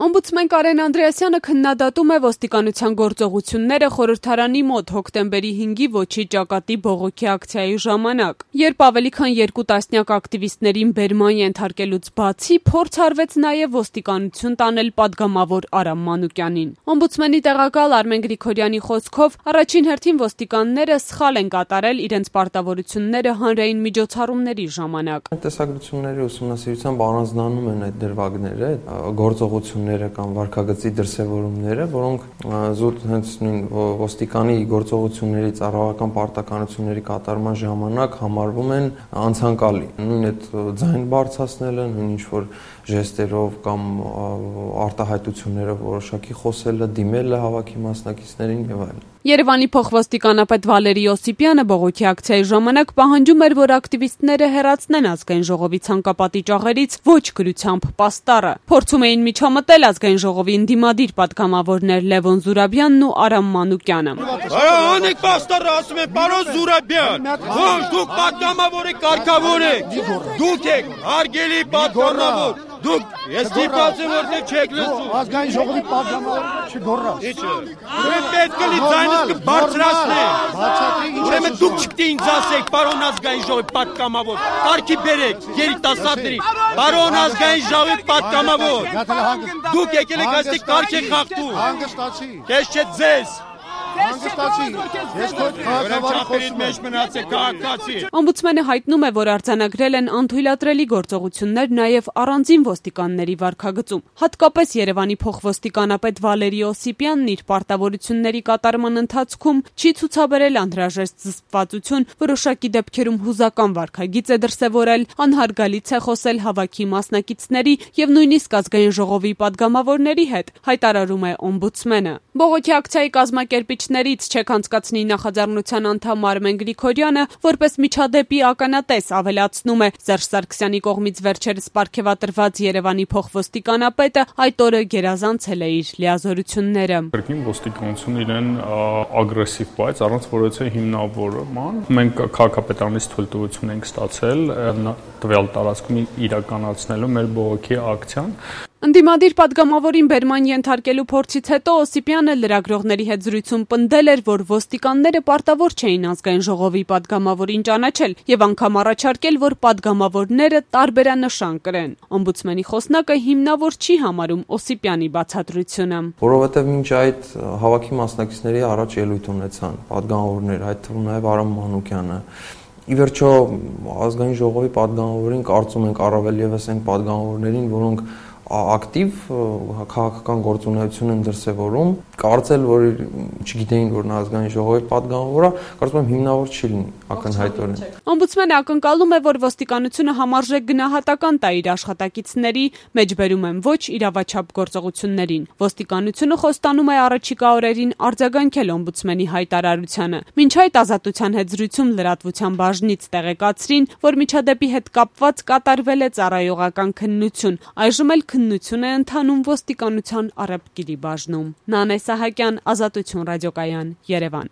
Օմբուդսմեն Կարեն Անդրեասյանը քննադատում է ոստիկանության գործողությունները խորհրդարանի մոտ հոկտեմբերի 5-ի ոչի ճակատի բողոքի ակցիայի ժամանակ, երբ ավելի քան 2 տասնյակ ակտիվիստներին բերման ենթարկելուց բացի փորձ արվեց նաև ոստիկանություն տանել պատգամավոր Արամ Մանուկյանին։ Օմբուդսմենի տեղակալ Արմեն Գրիգորյանի խոսքով առաջին հերթին ոստիկանները սխալ են կատարել իրենց պարտավորությունները հանրային միջոցառումների ժամանակ։ Տեսակցությունների ուսումնասիրությամբ առանձնանում են այդ դրվագները, գործողությունները կամ վարքագծի դրսևորումները, որոնք զուտ հենց նույն ոստիկանի գործողությունների ծառայական պարտականությունների կատարման ժամանակ համարվում են անցանկալի։ Նույն այդ ձայն բարձրացնելը, նույն ինչ-որ ժեստերով կամ արտահայտություններով որոշակի խոսելը, դիմելը հավաքի մասնակիցներին եւ այլն։ Երևանի փոխոստիկանապետ Վալերի Օսիպյանը բողոքի ակցիայի ժամանակ պահանջում էր, որ ակտիվիստները հեռացնեն ազգային ժողովի ցանկապատի ճաղերից ոչ գրությամբ պաստառը։ Փորձում էին միջամտել ազգային ժողովի ընդդիմադիր պատգամավորներ Լևոն Զուրաբյանն ու Արամ Մանուկյանը։ Անեք պաստառը, ասում են, պարոն Զուրաբյան, ոչ դուք պատգամավոր եք, կարգավոր եք, դուք եք հարգելի պատգամավոր։ Դուք ես դիպացեմ որ չեք լսում։ Ազգային ժողովի պատգամավոր չգոռա։ Ինչը։ Դուք պետք է ձայնս կբարձրացնեք։ Ուրեմն դուք չպետք է ինձ ասեք, պարոն ազգային ժողովի պատգամավոր։ Կարգի բերեք երիտասարդների։ Պարոն ազգային ժողովի պատգամավոր։ Դուք եկել եք այստեղ կարգ եք խախտում։ Հանգստացի։ Քեզ չէ ձեզ։ Հանգստացի։ Ես քո քաղաքավարի խոսում մեջ մնացեք քաղաքացի։ Օմբուդսմենը հայտնում է, որ արձանագրել են անթույլատրելի գործողություններ նաև առանձին ոստիկանների վարքագծում։ Հատկապես Երևանի փոխոստիկանապետ Վալերի Օսիպյանն իր պարտավորությունների կատարման ընթացքում չի ցուցաբերել անհրաժեշտ զսպվածություն, որոշակի դեպքերում հուզական վարքագիծ է դրսևորել, անհարգալից է խոսել հավաքի մասնակիցների եւ նույնիսկ ազգային ժողովի պատգամավորների հետ, հայտարարում է օմբուդսմենը։ Բողոքի ակցիայի կազմակերպիչներից չեք անցկացնի նախաձեռնության անդամ Արմեն Գրիգորյանը որպես միջադեպի ականատես ավելացնում է Սերժ Սարգսյանի կողմից վերջերս պարգևատրված Երևանի փոխոստիկանապետը այդ օրը գերազանցել է իր լիազորությունները։ Կրկին ոստիկանությունը իրեն ագրեսիվ բայց առանց որևէ հիմնավորման մենք քաղաքապետարանից թույլտվություն ենք ստացել տվյալ տարածքում իրականացնելու մեր բողոքի ակցիան։ Ընդդիմադիր պատգամավորին բերման ենթարկելու փորձից հետո Օսիպյանը լրագրողների հետ զրույցում պնդել էր, որ ոստիկանները պարտավոր չէին ազգային ժողովի պատգամավորին ճանաչել եւ անգամ առաջարկել, որ պատգամավորները տարբերանշան կրեն։ Օմբուդսմենի խոսնակը հիմնավոր չի համարում Օսիպյանի բացատրությունը։ Որովհետեւ մինչ այդ հավաքի մասնակիցների առաջ ելույթ ունեցան պատգամավորներ, այդ թվում նաեւ Արամ Մանուկյանը։ Ի վերջո ազգային ժողովի պատգամավորին կարծում ենք առավել եւս այն պատգամավորներին, որոնք ակտիվ քաղաքական գործունեություն են դրսևորում, կարծել, որ չգիտեին, որ նա ազգային ժողովի պատգամավոր է, կարծում եմ հիմնավոր չի լինի ակնհայտորեն։ Օմբուդսմենը ակնկալում է, որ ոստիկանությունը համարժեք գնահատական տա իր աշխատակիցների, մեջբերում են ոչ իրավաչափ գործողություններին։ Ոստիկանությունը խոստանում է առաջիկա օրերին արձագանքել օմբուդսմենի հայտարարությանը։ Մինչ այդ Ազատության հետ զրույցում լրատվության բաժնից տեղեկացրին, որ միջադեպի հետ կապված կատարվել է ծառայողական քննություն, այժմ էլ քննություն է ընթանում ոստիկանության առևտրի բաժնում։ Նանե Սահակյան, Ազատություն ռադիոկայան, Երևան։